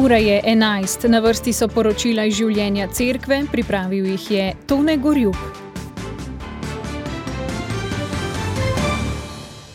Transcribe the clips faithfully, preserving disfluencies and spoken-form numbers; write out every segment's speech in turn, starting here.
Ura je enajst, na vrsti so poročila iz življenja cerkve, pripravil jih je Tone Gorjup.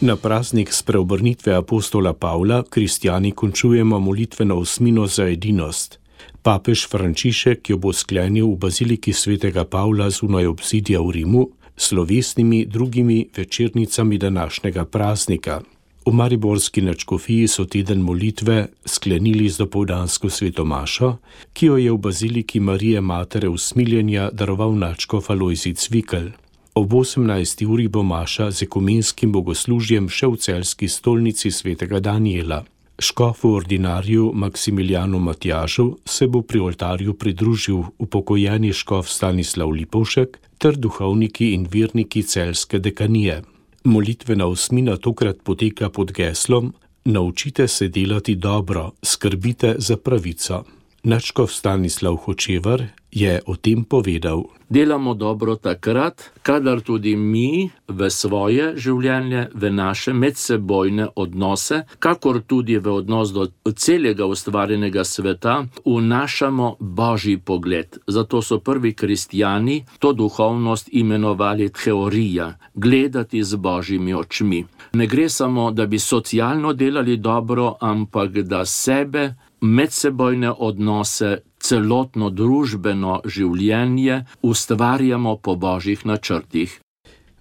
Na praznik spreobrnitve apostola Pavla kristjani končujemo molitveno osmino za edinost. Papež Frančišek jo bo sklenil v baziliki svetega Pavla zunaj obzidja v Rimu s slovesnimi drugimi večernicami današnjega praznika. V mariborski nadškofiji so teden molitve sklenili z dopoldansko svetomašo, ki jo je v baziliki Marije Matere usmiljenja daroval nadškof Alojzij Cvikl. Ob osemnajsti uri bo maša z ekumenskim bogoslužjem še v celjski stolnici svetega Danijela. Škofu ordinarju Maksimiljanu Matjažu se bo pri oltarju pridružil upokojeni škof Stanislav Lipovšek ter duhovniki in verniki celjske dekanije. Molitvena osmina tokrat poteka pod geslom Naučite se delati dobro, skrbite za pravico. Nadškof Stanislav Hočevar je o tem povedal. Delamo dobro takrat, kadar tudi mi v svoje življenje, v naše medsebojne odnose, kakor tudi v odnos do celega ustvarjenega sveta, vnašamo Božji pogled. Zato so prvi kristjani to duhovnost imenovali teorija, gledati z Božjimi očmi. Ne gre samo, da bi socialno delali dobro, ampak da sebe, medsebojne odnose, celotno družbeno življenje ustvarjamo po Božjih načrtih.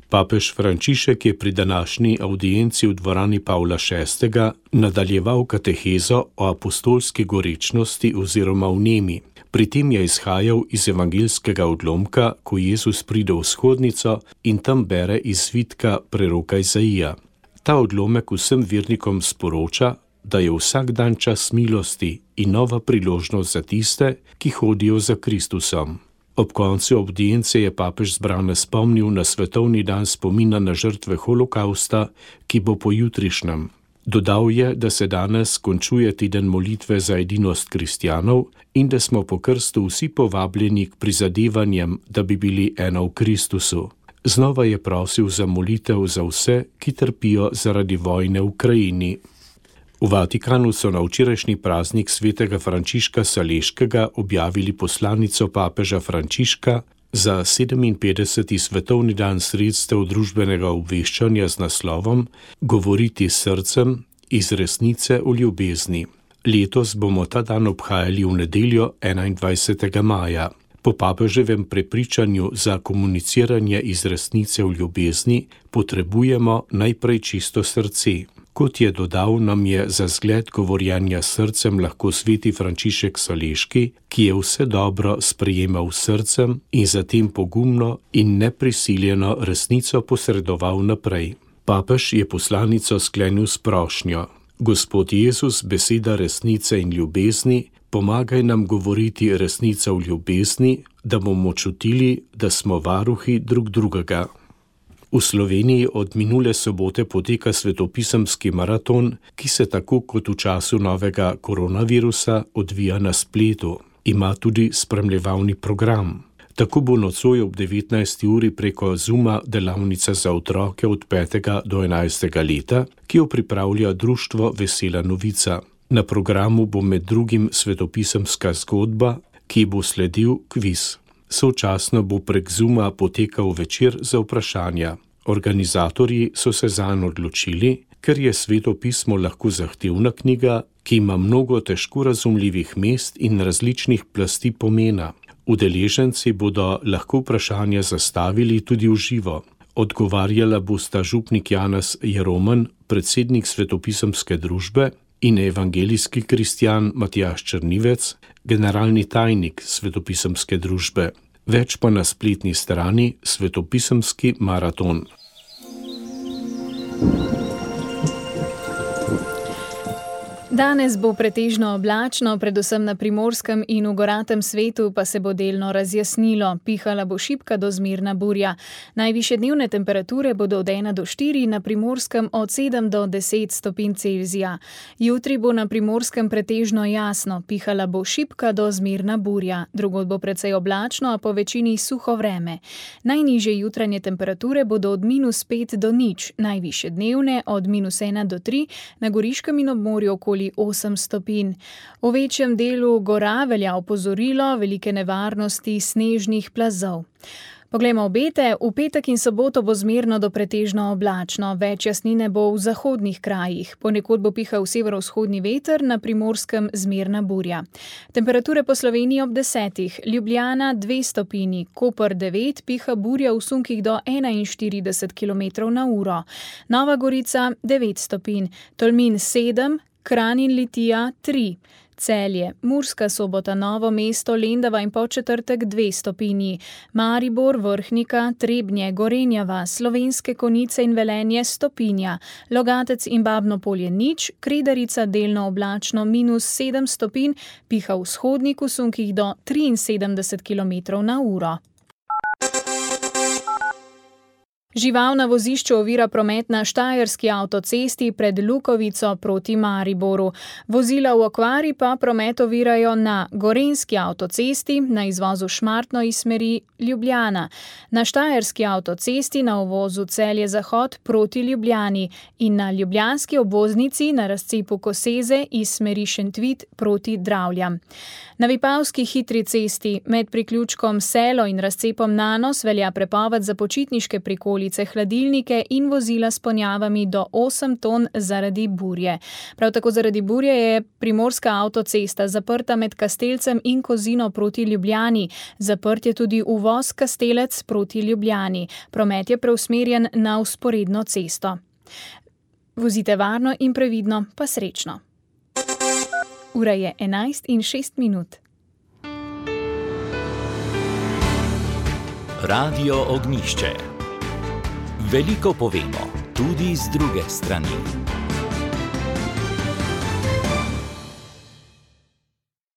Papež Frančišek je pri današnji avdienci v dvorani Pavla šestega nadaljeval katehezo o apostolski gorečnosti oziroma vnemi. Pri tem je izhajal iz evangeljskega odlomka, ko Jezus pride v shodnico in tam bere iz svitka preroka Izaija. Ta odlomek vsem vernikom sporoča, da je vsak dan čas milosti in nova priložnost za tiste, ki hodijo za Kristusom. Ob koncu avdience je papež zbrane spomnil na svetovni dan spomina na žrtve holokausta, ki bo pojutrišnjem. Dodal je, da se danes končuje teden molitve za edinost kristjanov in da smo po krstu vsi povabljeni k prizadevanjem, da bi bili eno v Kristusu. Znova je prosil za molitev za vse, ki trpijo zaradi vojne v Ukrajini. V Vatikanu so na včerajšnji praznik svetega Frančiška Saleškega objavili poslanico papeža Frančiška za sedeminpetdeseti svetovni dan sredstev družbenega obveščanja z naslovom Govoriti s srcem iz resnice o ljubezni. Letos bomo ta dan obhajali v nedeljo enaindvajsetega maja. Po papeževem prepričanju za komuniciranje iz resnice v ljubezni potrebujemo najprej čisto srce. Kot je dodal, nam je za zgled govorjenja s srcem lahko sveti Frančišek Saleški, ki je vse dobro sprejemal s srcem in zatem pogumno in neprisiljeno resnico posredoval naprej. Papež je poslanico sklenil s prošnjo. Gospod Jezus, beseda resnice in ljubezni, pomagaj nam govoriti resnica v ljubezni, da bomo čutili, da smo varuhi drug drugega. V Sloveniji od minule sobote poteka svetopisemski maraton, ki se tako kot v času novega koronavirusa odvija na spletu. Ima tudi spremljevalni program. Tako bo nocoj ob devetnajsti uri preko Zooma delavnica za otroke od petega do enajstega leta, ki jo pripravlja društvo Vesela novica. Na programu bo med drugim svetopisemska zgodba, ki bo sledil kviz. Sočasno bo prek Zooma potekal večer za vprašanja. Organizatorji so se zanj odločili, ker je Sveto pismo lahko zahtevna knjiga, ki ima mnogo težko razumljivih mest in različnih plasti pomena. Udeleženci bodo lahko vprašanja zastavili tudi v živo. Odgovarjala bosta župnik Janez Jeroman, predsednik svetopisemske družbe, in evangelijski kristjan Matjaž Črnivec, generalni tajnik svetopisemske družbe. Več pa na spletni strani Svetopisemski maraton. Danes bo pretežno oblačno, predvsem na Primorskem in v goratem svetu pa se bo delno razjasnilo. Pihala bo šibka do zmerna burja. Najvišje dnevne temperature bodo od ena do štiri, na Primorskem od sedem do deset stopinj Celzija. Jutri bo na Primorskem pretežno jasno, pihala bo šibka do zmerna burja. Drugod bo precej oblačno, a po večini suho vreme. Najnižje jutranje temperature bodo od minus pet do nič, najvišje dnevne od minus ena do tri, na Goriškem in ob morju okoli okoli osem stopinj. V večjem delu gora velja opozorilo velike nevarnosti snežnih plazov. Poglejmo obete. V petek in soboto bo zmerno do pretežno oblačno, več jasnine bo v zahodnih krajih. Ponekod bo pihal severovzhodni veter, na Primorskem zmerna burja. Temperature po Sloveniji ob desetih. Ljubljana dve stopinji, Koper devet, piha burja v sunkih do enainštirideset kilometrov na uro. Nova Gorica devet stopinj, Tolmin sedem, Kranj in Litija tri. Celje, Murska Sobota, Novo mesto, Lendava in Podčetrtek dve stopinji, Maribor, Vrhnika, Trebnje, Gorenja vas, Slovenske Konjice in Velenje stopinja, Logatec in Babno Polje nič, Kredarica delno oblačno minus sedem stopinj, piha vzhodnik v sunkih do triinsedemdeset kilometrov na uro. Žival na vozišču ovira promet na štajerski avtocesti pred Lukovico proti Mariboru. Vozila v okvari pa promet ovirajo na gorenjski avtocesti na izvozu Šmartno iz smeri Ljubljana, na štajerski avtocesti na uvozu Celje-Zahod proti Ljubljani in na ljubljanski obvoznici na razcepu Koseze iz smeri Šentvid proti Dravljam. Na Vipavski hitri cesti med priključkom Selo in razcepom Nanos velja prepoved za počitniške prikolice, hladilnike in vozila s ponjavami do osem ton zaradi burje. Prav tako zaradi burje je primorska avtocesta zaprta med Kastelcem in Kozino proti Ljubljani. Zaprt je tudi uvoz Kastelec proti Ljubljani. Promet je preusmerjen na vzporedno cesto. Vozite varno in previdno, pa srečno. Ura je enajst in šest minut. Radio Ognjišče. Veliko povemo, tudi z druge strani.